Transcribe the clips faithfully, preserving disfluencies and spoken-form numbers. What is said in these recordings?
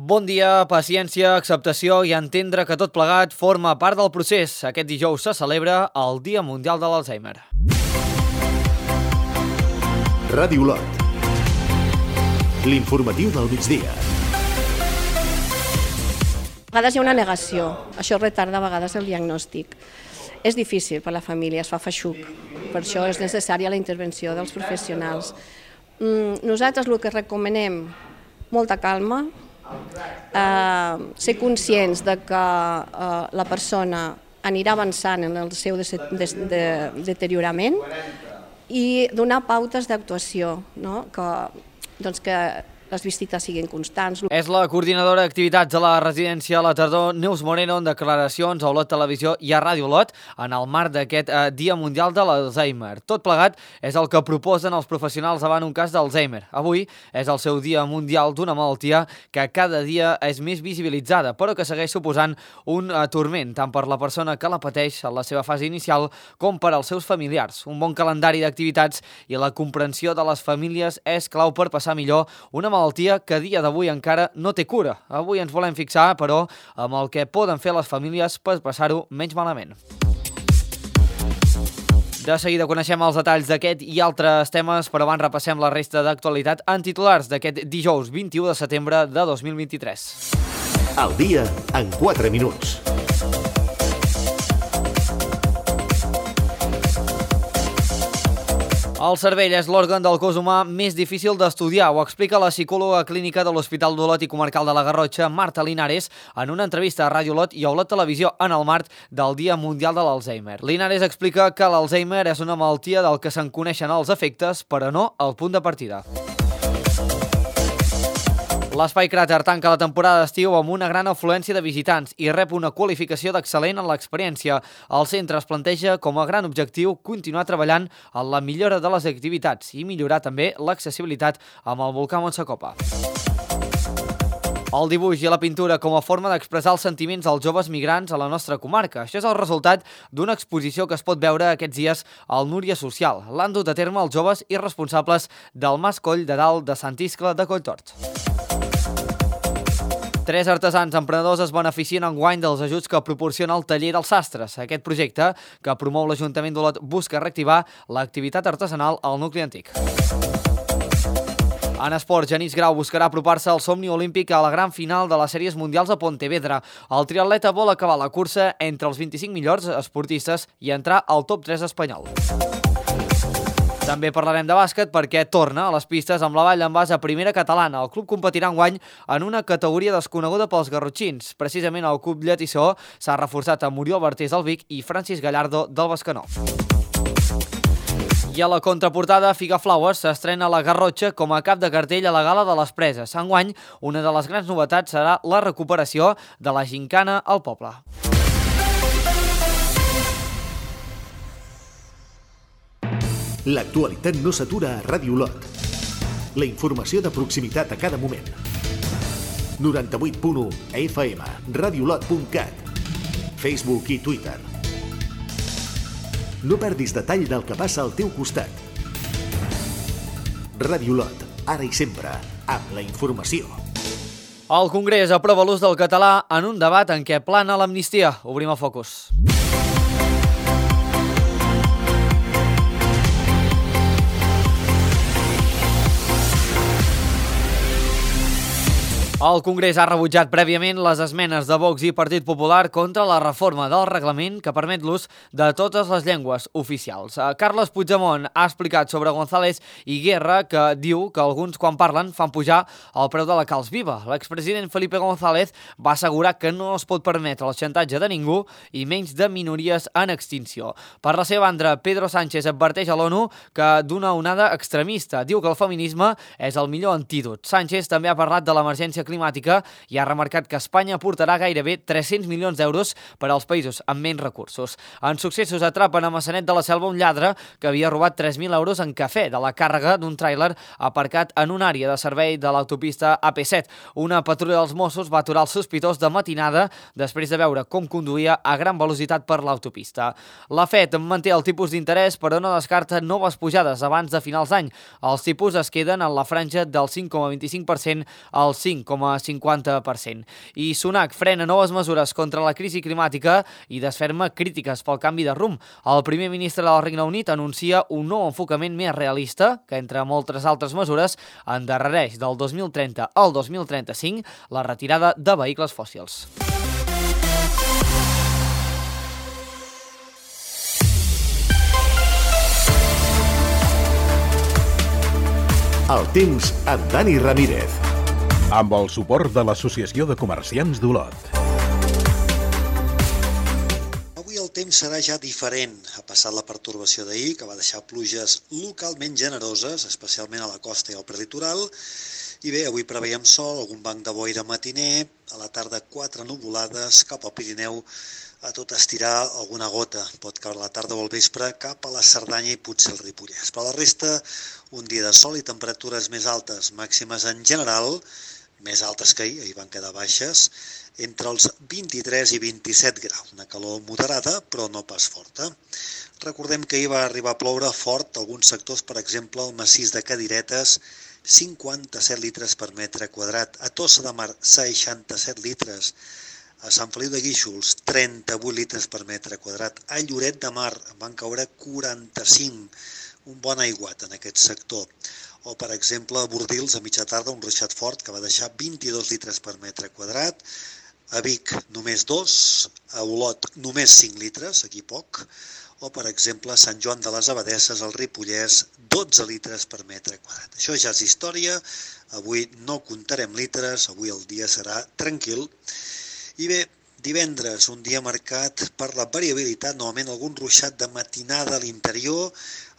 Bon dia, paciència, acceptació i entendre que tot plegat forma part del procés. Aquest dijous se celebra el Dia Mundial de l'Alzheimer. Ràdio Lot. L'informatiu del migdia. A vegades hi ha una negació, això retarda a vegades el diagnòstic. És difícil per a la família, es fa feixuc, per això és necessària la intervenció dels professionals. Nosaltres el que recomanem, molta calma, eh, ser conscients de que eh, la persona anirà avançant en el seu de, de, de, deteriorament i donar pautes d'actuació, no? que, doncs que les visites siguin constants. És la coordinadora d'activitats de la residència a la tardor, Neus Moreno, en declaracions a Olot Televisió i a Ràdio Lot en el marc d'aquest eh, Dia Mundial de l'Alzheimer. Tot plegat és el que proposen els professionals davant un cas d'Alzheimer. Avui és el seu Dia Mundial d'una malaltia que cada dia és més visibilitzada, però que segueix suposant un eh, turment tant per la persona que la pateix en la seva fase inicial com per als seus familiars. Un bon calendari d'activitats i la comprensió de les famílies és clau per passar millor una malaltia que a dia d'avui encara no té cura. Avui ens volem fixar, però, amb el que poden fer les famílies per passar-ho menys malament. De seguida coneixem els detalls d'aquest i altres temes, però abans repassem la resta d'actualitat en titulars d'aquest dijous vint-i-u de setembre de dos mil vint-i-tres. El dia en quatre minuts. El cervell és l'òrgan del cos humà més difícil d'estudiar, ho explica la psicòloga clínica de l'Hospital d'Olot i Comarcal de la Garrotxa, Marta Linares, en una entrevista a Ràdio Olot i a Olot Televisió en el marc del Dia Mundial de l'Alzheimer. Linares explica que l'Alzheimer és una malaltia del que se'n coneixen els efectes, però no el punt de partida. L'Espai Cràter tanca la temporada d'estiu amb una gran afluència de visitants i rep una qualificació d'excel·lent en l'experiència. El centre es planteja com a gran objectiu continuar treballant en la millora de les activitats i millorar també l'accessibilitat amb el volcà Montsacopa. El dibuix i la pintura com a forma d'expressar els sentiments dels joves migrants a la nostra comarca. Això és el resultat d'una exposició que es pot veure aquests dies al Núria Social. L'han dut a terme els joves i responsables del Mas Coll de Dalt de Sant Iscle de Colltort. Tres artesans emprenedors es beneficien enguany dels ajuts que proporciona el Taller dels Sastres. Aquest projecte, que promou l'Ajuntament d'Olot, busca reactivar l'activitat artesanal al nucli antic. En esport, Genís Grau buscarà apropar-se al somni olímpic a la gran final de les sèries mundials a Pontevedra. El triatleta vol acabar la cursa entre els vint-i-cinc millors esportistes i entrar al top tres espanyol. També parlarem de bàsquet perquè torna a les pistes amb la Vall d'en Bas a primera catalana. El club competirà enguany en una categoria desconeguda pels garrotxins. Precisament el club lletissó s'ha reforçat amb Oriol Bartés del Vic i Francis Gallardo del Bescanó. I a la contraportada, Figa Flowers s'estrena a la Garrotxa com a cap de cartell a la Gala de les Preses. Enguany, una de les grans novetats serà la recuperació de la gincana al poble. L'actualitat no s'atura a Ràdio Lot. La informació de proximitat a cada moment. noranta-vuit punt u F M, radiolot punt cat, Facebook i Twitter. No perdis detall del que passa al teu costat. Ràdio Lot, ara i sempre, amb la informació. El Congrés aprova l'ús del català en un debat en què plana l'amnistia. Obrim el focus. El Congrés ha rebutjat prèviament les esmenes de Vox i Partit Popular contra la reforma del reglament que permet l'ús de totes les llengües oficials. Carles Puigdemont ha explicat sobre González i Guerra que diu que alguns quan parlen fan pujar el preu de la calç viva. L'expresident Felipe González va assegurar que no es pot permetre el xantatge de ningú i menys de minories en extinció. Per la seva banda, Pedro Sánchez adverteix a l'ONU que d'una onada extremista. Diu que el feminisme és el millor antídot. Sánchez també ha parlat de l'emergència climàtica i ha remarcat que Espanya aportarà gairebé tres-cents milions d'euros per als països amb menys recursos. En successos atrapen a Massanet de la Selva un lladre que havia robat tres mil euros en cafè de la càrrega d'un tràiler aparcat en una àrea de servei de l'autopista A P set. Una patrulla dels Mossos va aturar el sospitós de matinada després de veure com conduïa a gran velocitat per l'autopista. La Fed manté el tipus d'interès però no descarta noves pujades abans de finals d'any. Els tipus es queden en la franja del cinc coma vint-i-cinc per cent al cinc coma coma cinquanta per cent. I Sunak frena noves mesures contra la crisi climàtica i desferma crítiques pel canvi de rumb. El primer ministre del Regne Unit anuncia un nou enfocament més realista que, entre moltes altres mesures, endarrereix del dos mil trenta al dos mil trenta-cinc la retirada de vehicles fòssils. El temps amb Dani Ramírez. Amb el suport de l'Associació de Comerciants d'Olot. Avui el temps serà ja diferent. Ha passat la pertorbació d'ahir, que va deixar pluges localment generoses, especialment a la costa i al prelitoral. I bé, avui preveiem sol, algun banc de boira matiner, a la tarda quatre nuvolades, cap al Pirineu, a tot estirar alguna gota. Pot caure a la tarda o al vespre cap a la Cerdanya i potser el Ripollès. Però a la resta, un dia de sol i temperatures més altes, màximes en general, més altes que ahir, ahir van quedar baixes, entre els vint-i-tres i vint-i-set graus. Una calor moderada, però no pas forta. Recordem que ahir va arribar a ploure fort a alguns sectors, per exemple, el massís de Cadiretes, cinquanta-set litres per metre quadrat. A Tossa de Mar, seixanta-set litres. A Sant Feliu de Guíxols, trenta-vuit litres per metre quadrat. A Lloret de Mar van caure quaranta-cinc, un bon aiguat en aquest sector. O, per exemple, a Bordils, a mitja tarda, un ruixat fort que va deixar vint-i-dos litres per metre quadrat. A Vic, només dos. A Olot, només cinc litres, aquí poc. O, per exemple, a Sant Joan de les Abadesses, al Ripollès, dotze litres per metre quadrat. Això ja és història. Avui no comptarem litres, avui el dia serà tranquil. I bé, divendres, un dia marcat per la variabilitat, novament algun ruixat de matinada a l'interior,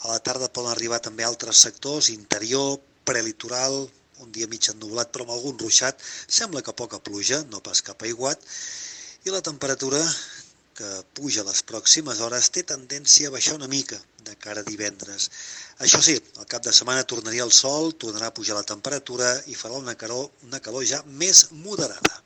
a la tarda poden arribar també altres sectors, interior, prelitoral, un dia mig ennuvolat però amb algun ruixat, sembla que poca pluja, no pas cap aiguat, i la temperatura que puja les pròximes hores té tendència a baixar una mica de cara a divendres. Això sí, al cap de setmana tornaria el sol, tornarà a pujar la temperatura i farà una calor, una calor ja més moderada.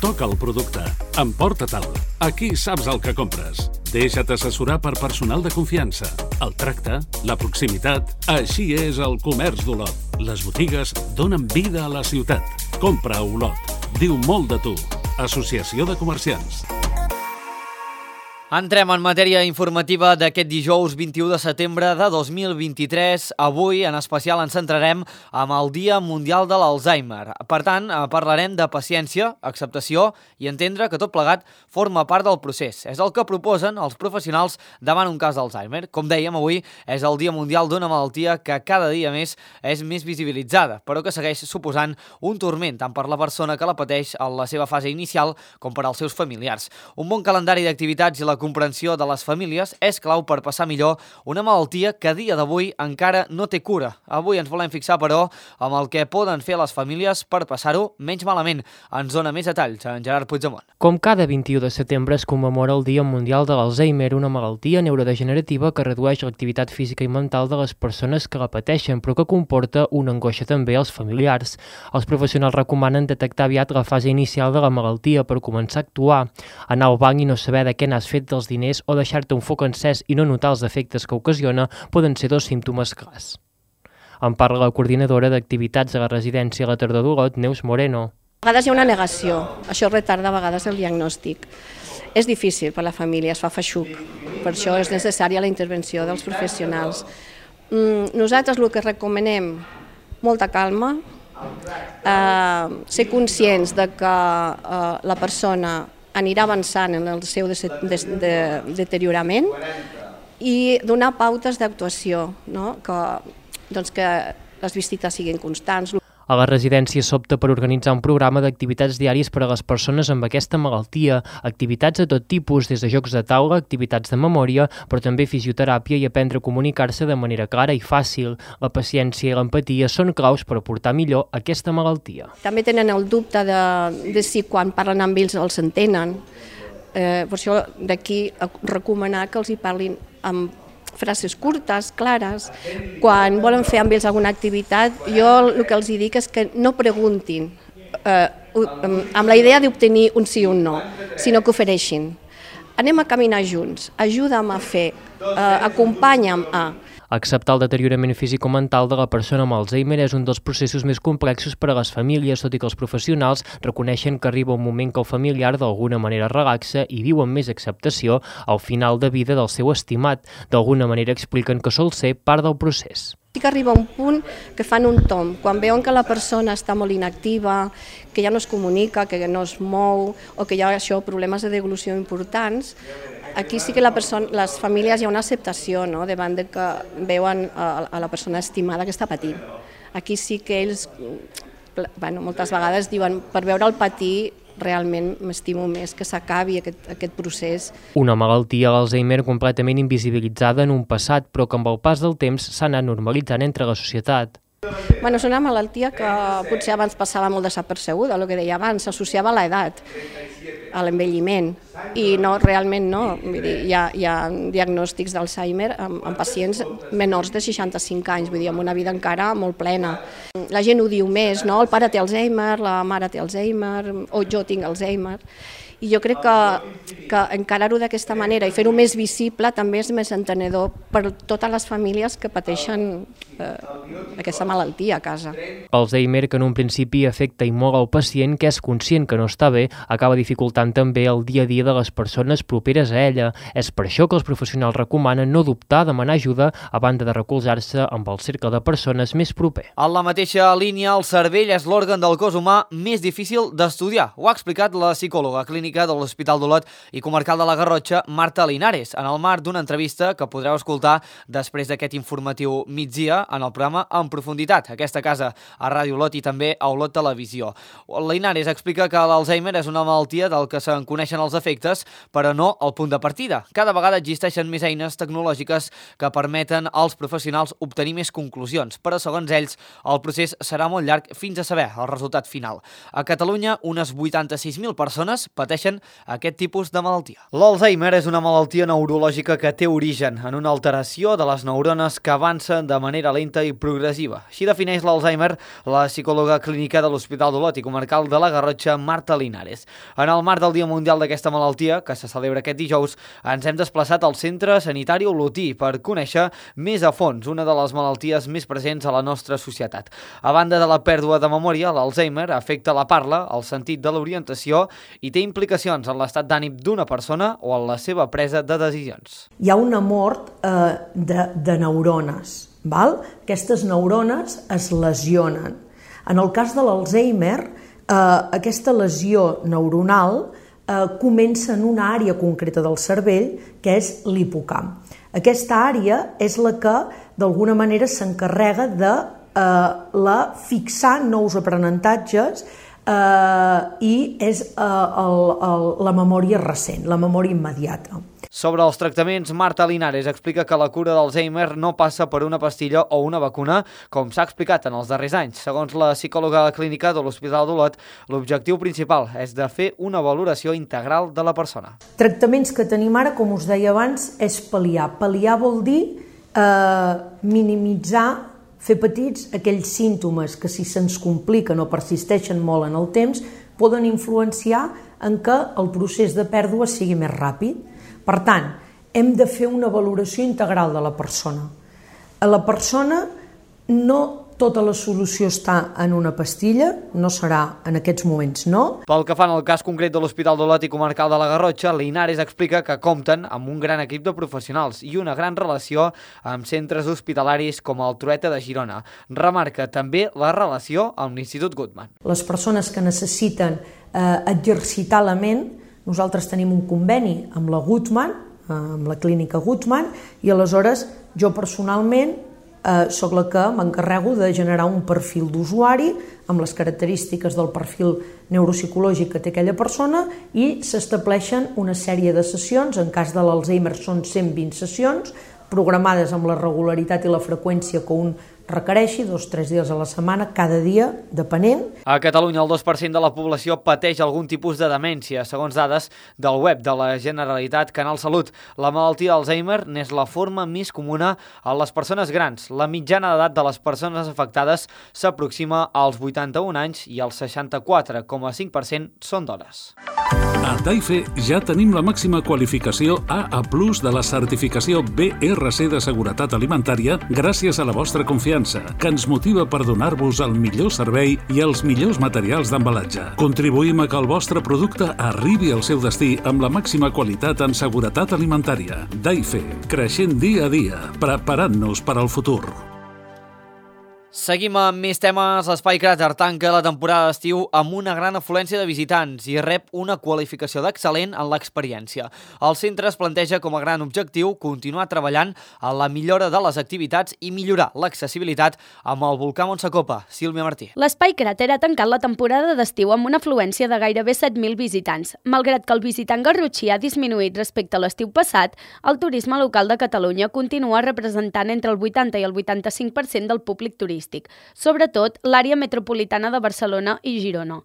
Toca el producte. Emporta-te'l. Aquí saps el que compres. Deixa't assessorar per personal de confiança. El tracte, la proximitat... Així és el comerç d'Olot. Les botigues donen vida a la ciutat. Compra a Olot. Diu molt de tu. Associació de Comerciants. Entrem en matèria informativa d'aquest dijous vint-i-u de setembre de dos mil vint-i-tres. Avui, en especial, ens centrarem amb el Dia Mundial de l'Alzheimer. Per tant, parlarem de paciència, acceptació i entendre que tot plegat forma part del procés. És el que proposen els professionals davant un cas d'Alzheimer. Com dèiem, avui és el Dia Mundial d'una malaltia que cada dia més és més visibilitzada, però que segueix suposant un turment tant per la persona que la pateix en la seva fase inicial com per als seus familiars. Un bon calendari d'activitats i la comprensió de les famílies és clau per passar millor una malaltia que a dia d'avui encara no té cura. Avui ens volem fixar, però, amb el que poden fer les famílies per passar-ho menys malament. Ens dona més detalls en Gerard Puigdemont. Com cada vint-i-u de setembre es commemora el Dia Mundial de l'Alzheimer, una malaltia neurodegenerativa que redueix l'activitat física i mental de les persones que la pateixen, però que comporta una angoixa també als familiars. Els professionals recomanen detectar aviat la fase inicial de la malaltia per començar a actuar, anar al banc i no saber de què n'has fet dels diners o deixar-te un foc encès i no notar els efectes que ocasiona poden ser dos símptomes clars. En parla la coordinadora d'activitats a la residència a la tardor d'Olot, Neus Moreno. A vegades hi ha una negació, això retarda a vegades el diagnòstic. És difícil per a la família, es fa feixuc, per això és necessària la intervenció dels professionals. Nosaltres el que recomanem, molta calma, eh, ser conscients de que eh, la persona anirà avançant en el seu de, de, de, deteriorament i donar pautes d'actuació, no? que, doncs que les visites siguin constants. A la residència s'opta per organitzar un programa d'activitats diàries per a les persones amb aquesta malaltia, activitats de tot tipus, des de jocs de taula, activitats de memòria, però també fisioteràpia i aprendre a comunicar-se de manera clara i fàcil. La paciència i l'empatia són claus per portar millor aquesta malaltia. També tenen el dubte de, de si quan parlen amb ells els entenen. Eh, per això d'aquí recomanar que els hi parlin amb frases curtes, clares. Quan volen fer amb ells alguna activitat, jo el que els dic és que no preguntin eh, amb la idea d'obtenir un sí o un no, sinó que ofereixin. Anem a caminar junts, ajuda'm a fer, eh, acompanya'm a... Acceptar el deteriorament físico-mental de la persona amb Alzheimer és un dels processos més complexos per a les famílies, tot i que els professionals reconeixen que arriba un moment que el familiar d'alguna manera relaxa i viu amb més acceptació al final de vida del seu estimat. D'alguna manera expliquen que sol ser part del procés. Sí que arriba un punt que fan un tomb, quan veuen que la persona està molt inactiva, que ja no es comunica, que no es mou, o que hi ha això, problemes de devolució importants, aquí sí que la persona, les famílies hi ha una acceptació, no?, davant de que veuen a, a la persona estimada que està patint. Aquí sí que ells, bueno, moltes vegades diuen, per veure'l patir, realment m'estimo més que s'acabi aquest, aquest procés. Una malaltia, l'Alzheimer, completament invisibilitzada en un passat, però que amb el pas del temps s'ha anat normalitzant entre la societat. Bueno, és una malaltia que potser abans passava molt desapercebuda, el que deia abans, s'associava a l'edat, a l'envelliment, i no, realment no. Vull dir, hi, ha, hi ha diagnòstics d'Alzheimer amb, amb pacients menors de seixanta-cinc anys, vull dir, amb una vida encara molt plena. La gent ho diu més, no? El pare té Alzheimer, la mare té Alzheimer, o jo tinc Alzheimer. I jo crec que, que encarar-ho d'aquesta manera i fer-ho més visible també és més entenedor per totes les famílies que pateixen eh, aquesta malaltia a casa. Alzheimer, que en un principi afecta i molt al pacient, que és conscient que no està bé, acaba dificultant també el dia a dia de les persones properes a ella. És per això que els professionals recomanen no dubtar a demanar ajuda a banda de recolzar-se amb el cercle de persones més proper. En la mateixa línia, el cervell és l'òrgan del cos humà més difícil d'estudiar. Ho ha explicat la psicòloga clínica de l'Hospital d'Olot i comarcal de la Garrotxa, Marta Linares, en el marc d'una entrevista que podreu escoltar després d'aquest informatiu migdia en el programa En Profunditat, aquesta casa a Ràdio Olot i també a Olot Televisió. Linares explica que l'Alzheimer és una malaltia del que se'n coneixen els efectes, però no el punt de partida. Cada vegada existeixen més eines tecnològiques que permeten als professionals obtenir més conclusions, però segons ells el procés serà molt llarg fins a saber el resultat final. A Catalunya, unes vuitanta-sis mil persones pateixen aquest tipus de malaltia. L'Alzheimer és una malaltia neurològica que té origen en una alteració de les neurones que avancen de manera lenta i progressiva. Així defineix l'Alzheimer la psicòloga clínica de l'Hospital d'Olot i comarcal de la Garrotxa, Marta Linares. En el marc del Dia Mundial d'aquesta malaltia, que se celebra aquest dijous, ens hem desplaçat al Centre Sanitari Olotí per conèixer més a fons una de les malalties més presents a la nostra societat. A banda de la pèrdua de memòria, l'Alzheimer afecta la parla, el sentit de l'orientació i té implicacions en l'estat d'ànim d'una persona o en la seva presa de decisions. Hi ha una mort eh, de, de neurones. Val? Aquestes neurones es lesionen. En el cas de l'Alzheimer, eh, aquesta lesió neuronal eh, comença en una àrea concreta del cervell, que és l'hipocamp. Aquesta àrea és la que, d'alguna manera, s'encarrega de eh, la fixar nous aprenentatges Uh, i és uh, el, el, la memòria recent, la memòria immediata. Sobre els tractaments, Marta Linares explica que la cura d'Alzheimer no passa per una pastilla o una vacuna, com s'ha explicat en els darrers anys. Segons la psicòloga clínica de l'Hospital d'Olot, l'objectiu principal és de fer una valoració integral de la persona. Tractaments que tenim ara, com us deia abans, és pal·liar. Pal·liar vol dir eh, minimitzar, fer petits aquells símptomes que, si se'ns compliquen o persisteixen molt en el temps, poden influenciar en què el procés de pèrdua sigui més ràpid. Per tant, hem de fer una valoració integral de la persona. A la persona no tota la solució està en una pastilla, no serà en aquests moments, no. Pel que fa en el cas concret de l'Hospital d'Olot i comarcal de la Garrotxa, Linares explica que compten amb un gran equip de professionals i una gran relació amb centres hospitalaris com el Trueta de Girona. Remarca també la relació amb l'Institut Guttmann. Les persones que necessiten eh, exercitar la ment, nosaltres tenim un conveni amb la Guttmann, eh, amb la clínica Guttmann, i aleshores jo personalment Uh, soc la que m'encarrego de generar un perfil d'usuari amb les característiques del perfil neuropsicològic que té aquella persona i s'estableixen una sèrie de sessions, en cas de l'Alzheimer són cent vint sessions, programades amb la regularitat i la freqüència que un requereixi, dos o tres dies a la setmana, cada dia, depenent. A Catalunya, el dos per cent de la població pateix algun tipus de demència, segons dades del web de la Generalitat Canal Salut. La malaltia d'Alzheimer n'és la forma més comuna a les persones grans. La mitjana d'edat de les persones afectades s'aproxima als vuitanta-un anys i el seixanta-quatre coma cinc per cent són dones. A Taife ja tenim la màxima qualificació A A plus de la certificació B R C de seguretat alimentària gràcies a la vostra confiança, que ens motiva per donar-vos el millor servei i els millors materials d'embalatge. Contribuïm a que el vostre producte arribi al seu destí amb la màxima qualitat en seguretat alimentària. Taife, creixent dia a dia, preparant-nos per al futur. Seguim amb més temes. L'Espai Cràter tanca la temporada d'estiu amb una gran afluència de visitants i rep una qualificació d'excel·lent en l'experiència. El centre es planteja com a gran objectiu continuar treballant en la millora de les activitats i millorar l'accessibilitat amb el volcà Montsacopa. Sílvia Martí. L'Espai Cràter ha tancat la temporada d'estiu amb una afluència de gairebé set mil visitants. Malgrat que el visitant garrotxí ha disminuït respecte a l'estiu passat, el turisme local de Catalunya continua representant entre el vuitanta i el vuitanta-cinc per cent del públic turístic, sobretot l'àrea metropolitana de Barcelona i Girona.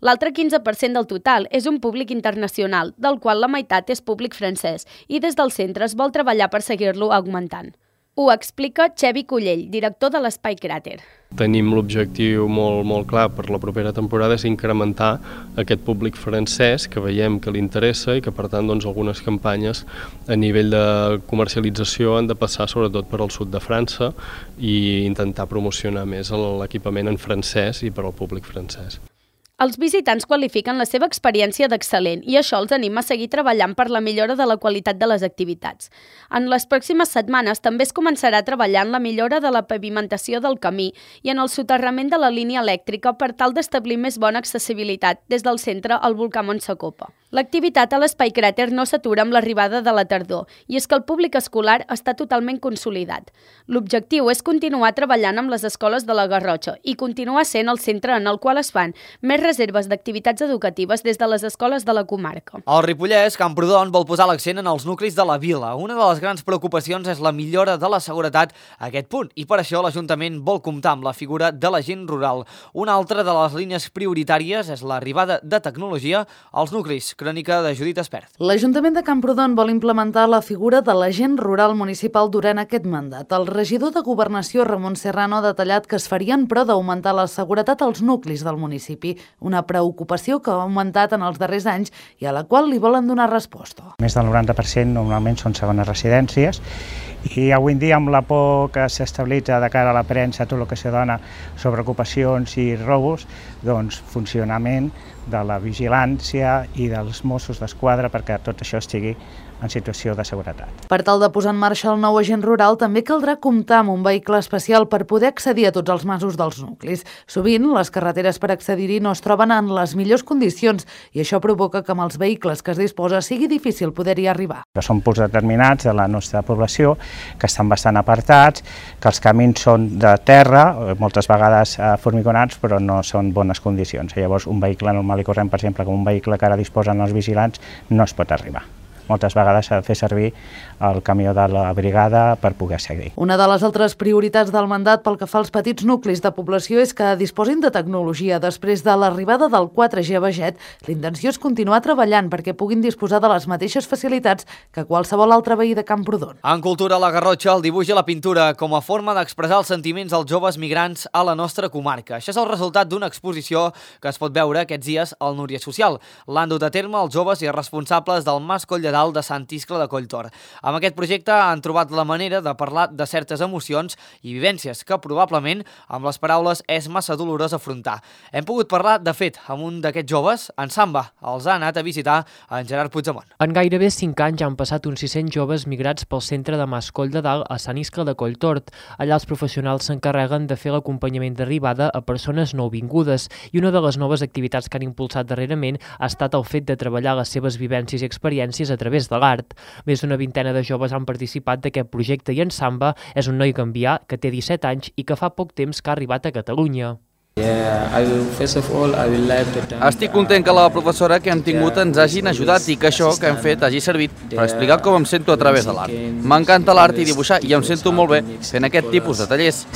L'altre quinze per cent del total és un públic internacional, del qual la meitat és públic francès, i des del centre es vol treballar per seguir-lo augmentant. Ho explica Xevi Collell, director de l'Espai Cràter. Tenim l'objectiu molt, molt clar per la propera temporada és incrementar aquest públic francès que veiem que li interessa i que per tant doncs, algunes campanyes a nivell de comercialització han de passar sobretot per al sud de França i intentar promocionar més l'equipament en francès i per al públic francès. Els visitants qualifiquen la seva experiència d'excel·lent i això els anima a seguir treballant per la millora de la qualitat de les activitats. En les pròximes setmanes també es començarà a treballar en la millora de la pavimentació del camí i en el soterrament de la línia elèctrica per tal d'establir més bona accessibilitat des del centre al volcà Montsacopa. L'activitat a l'Espai Cràter no s'atura amb l'arribada de la tardor i és que el públic escolar està totalment consolidat. L'objectiu és continuar treballant amb les escoles de la Garrotxa i continuar sent el centre en el qual es fan més reserves d'activitats educatives des de les escoles de la comarca. El Ripollès, Camprodon, vol posar l'accent en els nuclis de la vila. Una de les grans preocupacions és la millora de la seguretat a aquest punt i per això l'Ajuntament vol comptar amb la figura de l'agent rural. Una altra de les línies prioritàries és l'arribada de tecnologia als nuclis. Crònica de Judit Espert. L'Ajuntament de Camprodon vol implementar la figura de l'agent rural municipal durant aquest mandat. El regidor de Governació, Ramon Serrano, ha detallat que es farien pro d'augmentar la seguretat als nuclis del municipi, una preocupació que ha augmentat en els darrers anys i a la qual li volen donar resposta. Més del noranta per cent normalment són segones residències i avui en dia amb la por que s'estabilitza de cara a la premsa, tot el que se dona sobre ocupacions i robos, doncs funcionament de la vigilància i dels Mossos d'Esquadra perquè tot això estigui en situació de seguretat. Per tal de posar en marxa el nou agent rural també caldrà comptar amb un vehicle especial per poder accedir a tots els masos dels nuclis. Sovint les carreteres per accedir-hi no es troben en les millors condicions i això provoca que amb els vehicles que es disposa sigui difícil poder-hi arribar. Són punts determinats de la nostra població que estan bastant apartats, que els camins són de terra, moltes vegades formigonats, però no són bones condicions. Llavors un vehicle normal i corrent, per exemple, com un vehicle que ara disposen els vigilants, no es pot arribar. Moltes vegades s'ha de fer servir el camió de la brigada per poder seguir. Una de les altres prioritats del mandat pel que fa als petits nuclis de població és que disposin de tecnologia. Després de l'arribada del quatre G a Beget, l'intenció és continuar treballant perquè puguin disposar de les mateixes facilitats que qualsevol altre veí de Camprodon. En cultura, la Garrotxa, el dibuix i la pintura com a forma d'expressar els sentiments dels joves migrants a la nostra comarca. Això és el resultat d'una exposició que es pot veure aquests dies al Núria Social. L'han dut a terme els joves i responsables del Mas Coll de Dalt de Sant Iscle de Colltor. Amb aquest projecte han trobat la manera de parlar de certes emocions i vivències que probablement amb les paraules és massa dolorós afrontar. Hem pogut parlar, de fet, amb un d'aquests joves, en Samba. Els ha anat a visitar en Gerard Puigdemont. En gairebé cinc anys han passat uns sis-cents joves migrats pel centre de Mas Coll de Dalt a Sant Iscle de Colltort. Allà els professionals s'encarreguen de fer l'acompanyament d'arribada a persones nouvingudes i una de les noves activitats que han impulsat darrerament ha estat el fet de treballar les seves vivències i experiències a través de l'art. Més d'una vintena de joves han participat d'aquest projecte i en Samba és un noi gambià que té disset anys i que fa poc temps que ha arribat a Catalunya. Estic content que la professora que hem tingut ens hagin ajudat i que això que hem fet hagi servit per explicar com em sento a través de l'art. M'encanta l'art i dibuixar i em sento molt bé fent aquest tipus de tallers.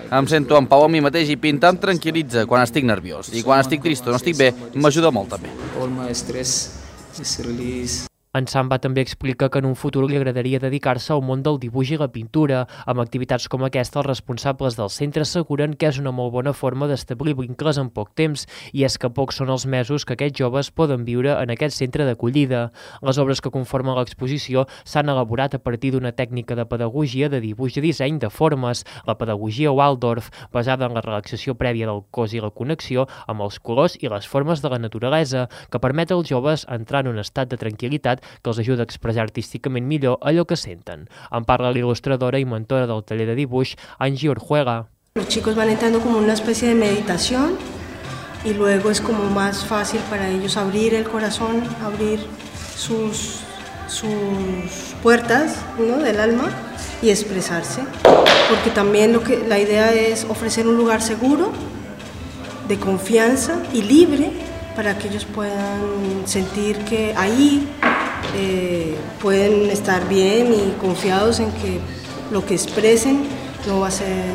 Em sento en pau amb mi mateix i pintar em tranquil·litza quan estic nerviós. I quan estic trist o no estic bé, m'ajuda molt també. En Samba també explica que en un futur li agradaria dedicar-se al món del dibuix i la pintura. Amb activitats com aquesta, els responsables del centre asseguren que és una molt bona forma d'establir vincles en poc temps, i és que pocs són els mesos que aquests joves poden viure en aquest centre d'acollida. Les obres que conformen l'exposició s'han elaborat a partir d'una tècnica de pedagogia de dibuix i disseny de formes, la pedagogia Waldorf, basada en la relaxació prèvia del cos i la connexió amb els colors i les formes de la naturalesa, que permet als joves entrar en un estat de tranquil·litat que els ajuda a expressar artísticament millor allò que senten. En parla l'il·lustradora i mentora del taller de dibuix, Angie Orjuega. Los chicos van entrando como una especie de meditación y luego es como más fácil para ellos abrir el corazón, abrir sus, sus puertas, ¿no?, del alma y expresarse. Porque también lo que, la idea es ofrecer un lugar seguro, de confianza y libre para que ellos puedan sentir que ahí Eh, pueden estar bien y confiados en que lo que expresen no va a ser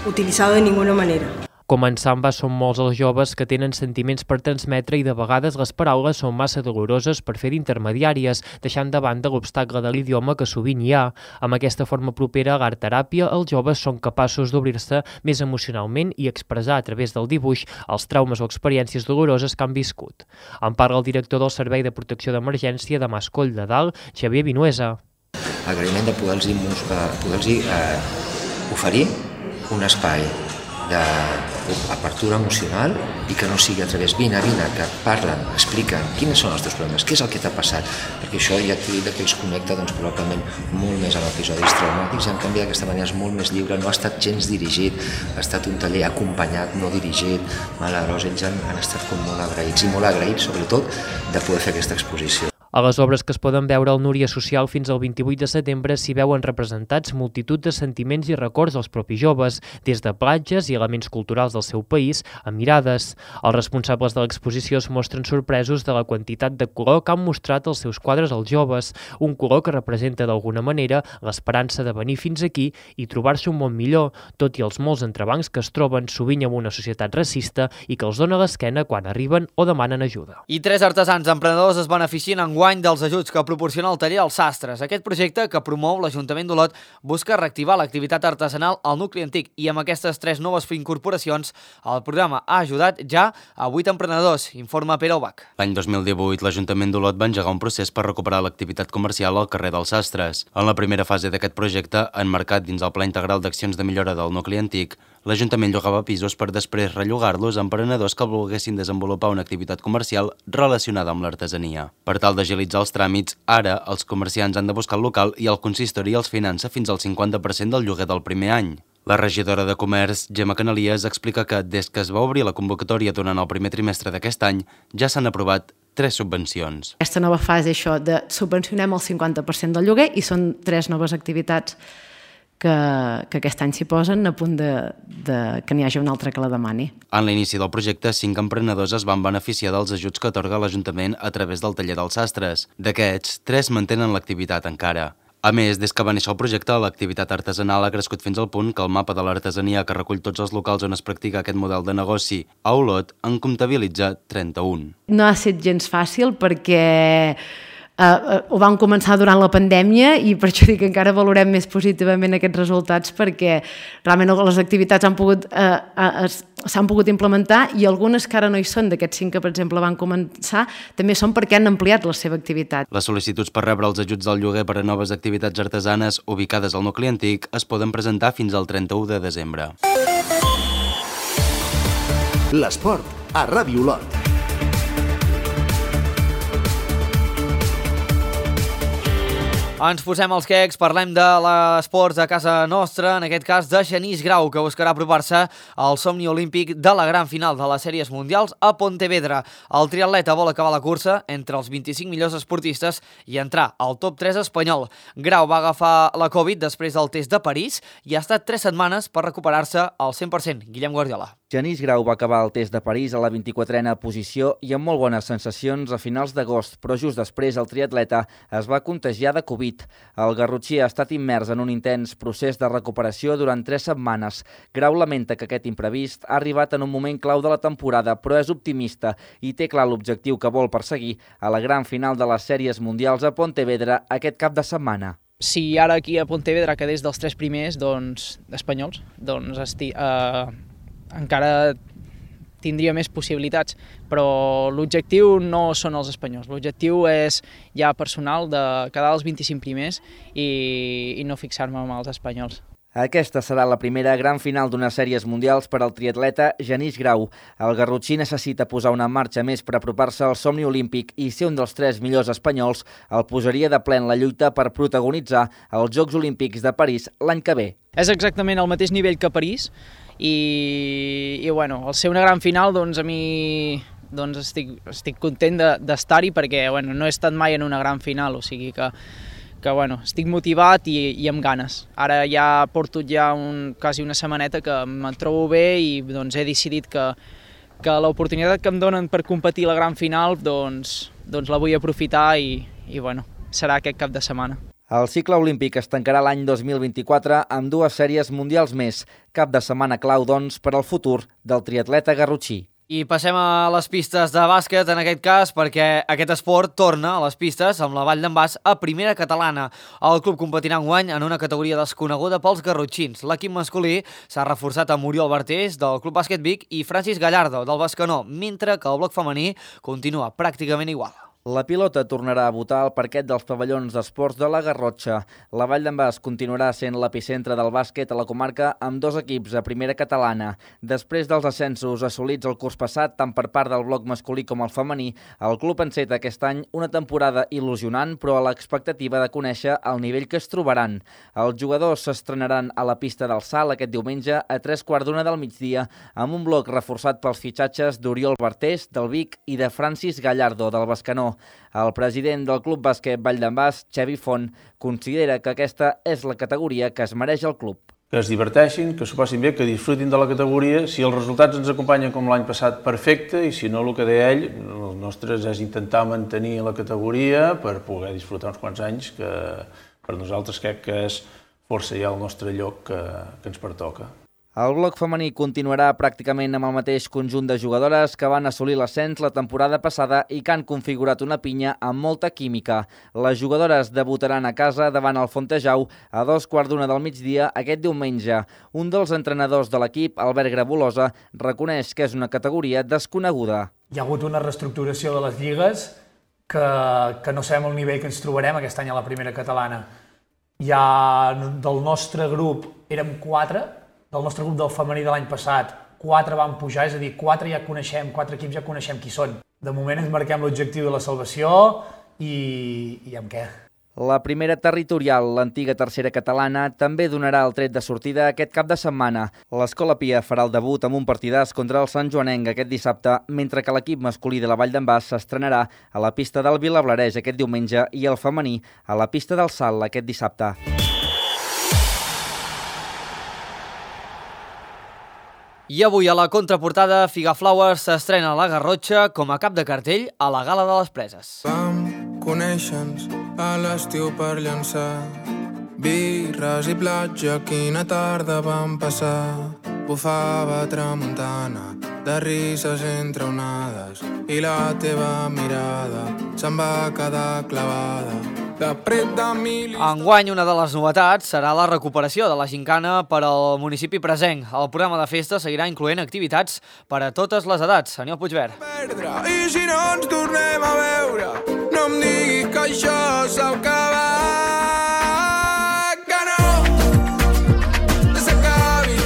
utilizado de ninguna manera. Com en Samba, són molts els joves que tenen sentiments per transmetre i de vegades les paraules són massa doloroses per fer d'intermediàries, deixant de banda l'obstacle de l'idioma que sovint hi ha. Amb aquesta forma propera a l'art-teràpia, els joves són capaços d'obrir-se més emocionalment i expressar a través del dibuix els traumes o experiències doloroses que han viscut. En parla el director del Servei de Protecció d'Emergència de Mascoll de Dalt, Xavier Vinuesa. L'agraïment de poder-los poder eh, oferir un espai d'apertura emocional i que no sigui a través vine, vine, que parlen, expliquen quins són els teus problemes, què és el que t'ha passat, perquè això ja t'he dit que els connecta doncs, probablement molt més amb episodis traumàtics, i en canvi d'aquesta manera és molt més lliure, no ha estat gens dirigit, ha estat un taller acompanyat, no dirigit. Aleshores ells han, han estat com molt agraïts, i molt agraïts sobretot de poder fer aquesta exposició. A les obres que es poden veure al Núria Social fins al vint-i-vuit de setembre s'hi veuen representats multitud de sentiments i records dels propis joves, des de platges i elements culturals del seu país a mirades. Els responsables de l'exposició es mostren sorpresos de la quantitat de color que han mostrat els seus quadres als joves, un color que representa d'alguna manera l'esperança de venir fins aquí i trobar-se un món millor, tot i els molts entrebancs que es troben sovint amb una societat racista i que els dona l'esquena quan arriben o demanen ajuda. I tres artesans emprenedors es beneficien en guany dels ajuts que proporciona el taller Els Sastres. Aquest projecte, que promou l'Ajuntament d'Olot, busca reactivar l'activitat artesanal al nucli antic, i amb aquestes tres noves incorporacions el programa ha ajudat ja a vuit emprenedors, informa Pere Ubach. L'any dos mil divuit l'Ajuntament d'Olot va engegar un procés per recuperar l'activitat comercial al carrer dels Sastres. En la primera fase d'aquest projecte, emmarcat dins el Pla Integral d'Accions de Millora del Nucli Antic, l'Ajuntament llogava pisos per després rellogar-los a emprenedors que volguessin desenvolupar una activitat comercial relacionada amb l'artesania. Per tal d'agilitzar els tràmits, ara els comerciants han de buscar el local i el consistori els finança fins al cinquanta per cent del lloguer del primer any. La regidora de Comerç, Gemma Canalies, explica que des que es va obrir la convocatòria durant el primer trimestre d'aquest any, ja s'han aprovat tres subvencions. Aquesta nova fase, això de subvencionem el cinquanta per cent del lloguer, i són tres noves activitats que, que aquest any s'hi posen a punt de, de que n'hi hagi una altra que la demani. En l'inici del projecte, cinc emprenedors es van beneficiar dels ajuts que atorga l'Ajuntament a través del taller dels Sastres. D'aquests, tres mantenen l'activitat encara. A més, des que va néixer el projecte, l'activitat artesanal ha crescut fins al punt que el mapa de l'artesania que recull tots els locals on es practica aquest model de negoci a Olot en comptabilitza trenta-un. No ha estat gens fàcil perquè Uh, ho vam començar durant la pandèmia, i per això dic que encara valorem més positivament aquests resultats, perquè realment les activitats han pogut, uh, uh, s'han pogut implementar, i algunes que ara no hi són, d'aquests cinc que per exemple van començar, també són perquè han ampliat la seva activitat. Les sol·licituds per rebre els ajuts del lloguer per a noves activitats artesanes ubicades al nucli antic es poden presentar fins al trenta-u de desembre. L'esport a Ràdio Olot. Ens posem els quecs, parlem de l'esports a casa nostra, en aquest cas de Genís Grau, que buscarà apropar-se al somni olímpic de la gran final de les sèries mundials a Pontevedra. El triatleta vol acabar la cursa entre els vint-i-cinc millors esportistes i entrar al top tres espanyol. Grau va agafar la Covid després del test de París i ha estat tres setmanes per recuperar-se al cent per cent. Guillem Guardiola. Genís Grau va acabar el test de París a la vint-i-quatrena posició i amb molt bones sensacions a finals d'agost, però just després el triatleta es va contagiar de Covid. El garrotxí ha estat immers en un intens procés de recuperació durant tres setmanes. Grau lamenta que aquest imprevist ha arribat en un moment clau de la temporada, però és optimista i té clar l'objectiu que vol perseguir a la gran final de les sèries mundials a Pontevedra aquest cap de setmana. Si ara aquí a Pontevedra quedés dels tres primers doncs, espanyols, doncs esti, eh, encara tindria més possibilitats, però l'objectiu no són els espanyols, l'objectiu és ja personal de quedar als vint-i-cinc primers i, i no fixar-me amb els espanyols. Aquesta serà la primera gran final d'unes sèries mundials per al triatleta Genís Grau. El garrotxí necessita posar una marxa més per apropar-se al somni olímpic i ser un dels tres millors espanyols el posaria de ple en la lluita per protagonitzar els Jocs Olímpics de París l'any que ve. És exactament el mateix nivell que París i, i bueno, al ser una gran final doncs a mi doncs estic, estic content d'estar-hi de, perquè bueno, no he estat mai en una gran final, o sigui que que bueno, estic motivat i, i amb ganes. Ara ja porto ja un, quasi una setmaneta que me'n trobo bé i doncs, he decidit que, que l'oportunitat que em donen per competir a la gran final doncs, doncs la vull aprofitar i, i bueno, serà aquest cap de setmana. El cicle olímpic es tancarà l'any dos mil vint-i-quatre amb dues sèries mundials més. Cap de setmana clau, doncs, per al futur del triatleta garrotxí. I passem a les pistes de bàsquet, en aquest cas, perquè aquest esport torna a les pistes amb la Vall d'en Bas a primera catalana. El club competirà enguany en una categoria desconeguda pels garrotxins. L'equip masculí s'ha reforçat amb Oriol Bartés, del Club Bàsquet Vic, i Francis Gallardo, del Bescanó, mentre que el bloc femení continua pràcticament igual. La pilota tornarà a votar al parquet dels pavellons d'esports de la Garrotxa. La Vall d'en Bas continuarà sent l'epicentre del bàsquet a la comarca amb dos equips a primera catalana. Després dels ascensos assolits el curs passat, tant per part del bloc masculí com el femení, el club enceta aquest any una temporada il·lusionant, però a l'expectativa de conèixer el nivell que es trobaran. Els jugadors s'estrenaran a la pista del Salt aquest diumenge a tres quarts d'una del migdia amb un bloc reforçat pels fitxatges d'Oriol Bartés, del Vic, i de Francis Gallardo, del Bescanó. El president del Club Bàsquet Vall d'en Bas, Xavi Font, considera que aquesta és la categoria que es mereix el club. Que es diverteixin, que s'ho passin bé, que disfrutin de la categoria. Si els resultats ens acompanyen com l'any passat, perfecte, i si no, el que deia ell, el nostre és intentar mantenir la categoria per poder disfrutar uns quants anys, que per nosaltres crec que és força ja el nostre lloc que, que ens pertoca. El bloc femení continuarà pràcticament amb el mateix conjunt de jugadores que van assolir l'ascens la temporada passada i que han configurat una pinya amb molta química. Les jugadores debutaran a casa davant el Fontejau a dos quarts d'una del migdia aquest diumenge. Un dels entrenadors de l'equip, Albert Grabolosa, reconeix que és una categoria desconeguda. Hi ha hagut una reestructuració de les lligues que, que no sabem el nivell que ens trobarem aquest any a la primera catalana. Ja del nostre grup érem quatre, del nostre grup del femení de l'any passat, quatre van pujar, és a dir, quatre ja coneixem, quatre equips ja coneixem qui són. De moment ens marquem l'objectiu de la salvació i, i amb què? La primera territorial, l'antiga tercera catalana, també donarà el tret de sortida aquest cap de setmana. L'Escola Pia farà el debut amb un partidàs contra el Sant Joanenc aquest dissabte, mentre que l'equip masculí de la Vall d'en Bas s'estrenarà a la pista del Vilablareix aquest diumenge i el femení a la pista del Salt aquest dissabte. I avui a la contraportada, Figaflowers s'estrena a la Garrotxa com a cap de cartell a la Gala de les Preses. Vam conèixer-nos a l'estiu per llançar birres i platja, quina tarda vam passar. Bufava tramuntana, de risses entre onades, i la teva mirada se'n va quedar clavada. Enguany, una de les novetats serà la recuperació de la gincana per al municipi presenc. El programa de festa seguirà incloent activitats per a totes les edats. Senyor Puigverd. I si no ens tornem a veure, no em digui que això s'ha acabat, que no s'acabi.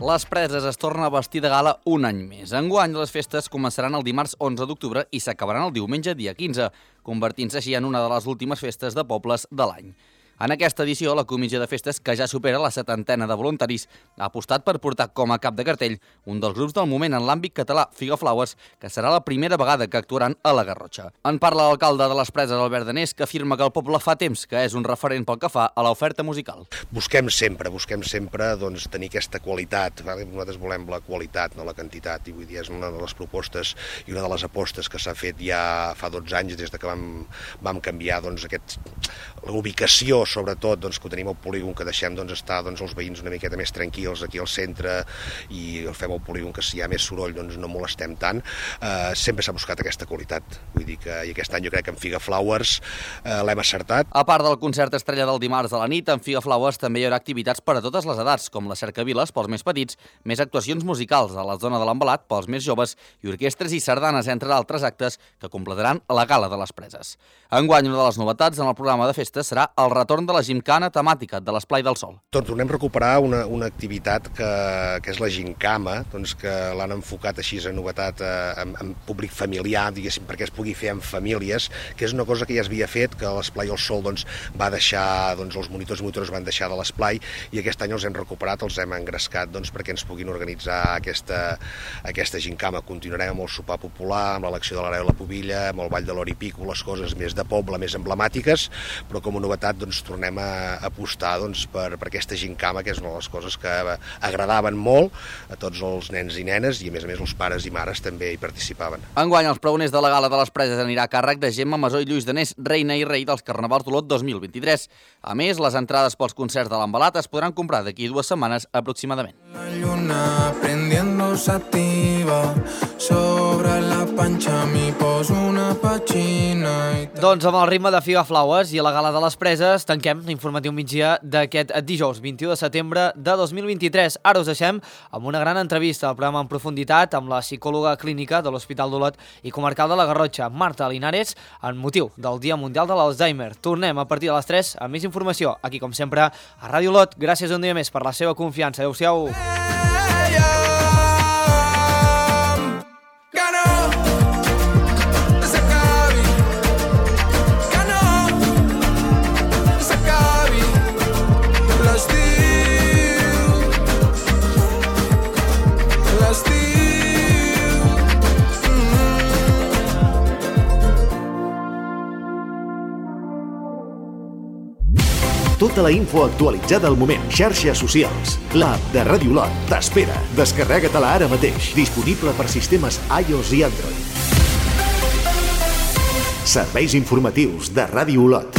Les Preses es torna a vestir de gala un any més. Enguany, les festes començaran el dimarts onze d'octubre i s'acabaran el diumenge dia quinze. convertint-se així en una de les últimes festes de pobles de l'any. En aquesta edició, la Comissió de Festes, que ja supera la setantena de voluntaris, ha apostat per portar com a cap de cartell un dels grups del moment en l'àmbit català, Figaflowers, que serà la primera vegada que actuaran a la Garrotxa. En parla l'alcalde de les Preses, Albert Danés, que afirma que el poble fa temps que és un referent pel que fa a l'oferta musical. Busquem sempre, busquem sempre doncs, tenir aquesta qualitat. Nosaltres volem la qualitat, no la quantitat, i vull dir, és una de les propostes i una de les apostes que s'ha fet ja fa dotze anys, des de que vam, vam canviar doncs, aquest, la ubicació, sobretot, doncs, que tenim al polígon, que deixem doncs, estar doncs, els veïns una miqueta més tranquils aquí al centre i el fem al polígon, que si hi ha més soroll doncs, no molestem tant. Eh, sempre s'ha buscat aquesta qualitat. Vull dir que i aquest any jo crec que en Figaflowers eh, l'hem acertat. A part del concert estrella del dimarts a la nit, en Figaflowers també hi haurà activitats per a totes les edats, com la cercaviles pels més petits, més actuacions musicals a la zona de l'embalat pels més joves i orquestres i sardanes, entre d'altres actes que completaran la Gala de les Preses. Enguany, una de les novetats en el programa de festes serà el retorn de la gimcana temàtica de l'Esplai del Sol. Doncs tornem a recuperar una, una activitat que, que és la gincama, doncs que l'han enfocat així a novetat eh, en, en públic familiar, diguéssim, perquè es pugui fer en famílies, que és una cosa que ja es havia fet, que l'Esplai del Sol doncs, va deixar, doncs, els monitors i monitores van deixar de l'Esplai i aquest any els hem recuperat, els hem engrescat doncs, perquè ens puguin organitzar aquesta, aquesta gincama. Continuarem amb el sopar popular, amb l'elecció de l'Hereu i la Pubilla, amb el Ball de l'Or i Pico, les coses més de poble, més emblemàtiques, però com a novetat doncs, tornem a apostar doncs, per, per aquesta gincama, que és una de les coses que agradaven molt a tots els nens i nenes i a més a més els pares i mares també hi participaven. Enguany els pregoners de la Gala de les Preses anirà a càrrec de Gemma Masó i Lluís Danés, reina i rei dels Carnavals d'Olot dos mil vint-i-tres. A més, les entrades pels concerts de l'Embalat es podran comprar d'aquí dues setmanes aproximadament. La lluna prendiendo sativa sobre la panxa mi poso una petxina i... Doncs amb el ritme de Figaflowers i la Gala de les Preses tanquem l'informatiu migdia d'aquest dijous vint-i-u de setembre de dos mil vint-i-tres. Ara us deixem amb una gran entrevista al programa en profunditat amb la psicòloga clínica de l'Hospital d'Olot i comarcal de la Garrotxa, Marta Linares, en motiu del Dia Mundial de l'Alzheimer. Tornem a partir de les tres amb més informació, aquí com sempre a Ràdio Olot. Gràcies un dia més per la seva confiança. Adéu-siau. Tota la info actualitzada al moment. Xarxes socials. L'app de Ràdio Olot t'espera. Descarrega-te-la ara mateix. Disponible per sistemes iOS i Android. Serveis informatius de Ràdio Olot.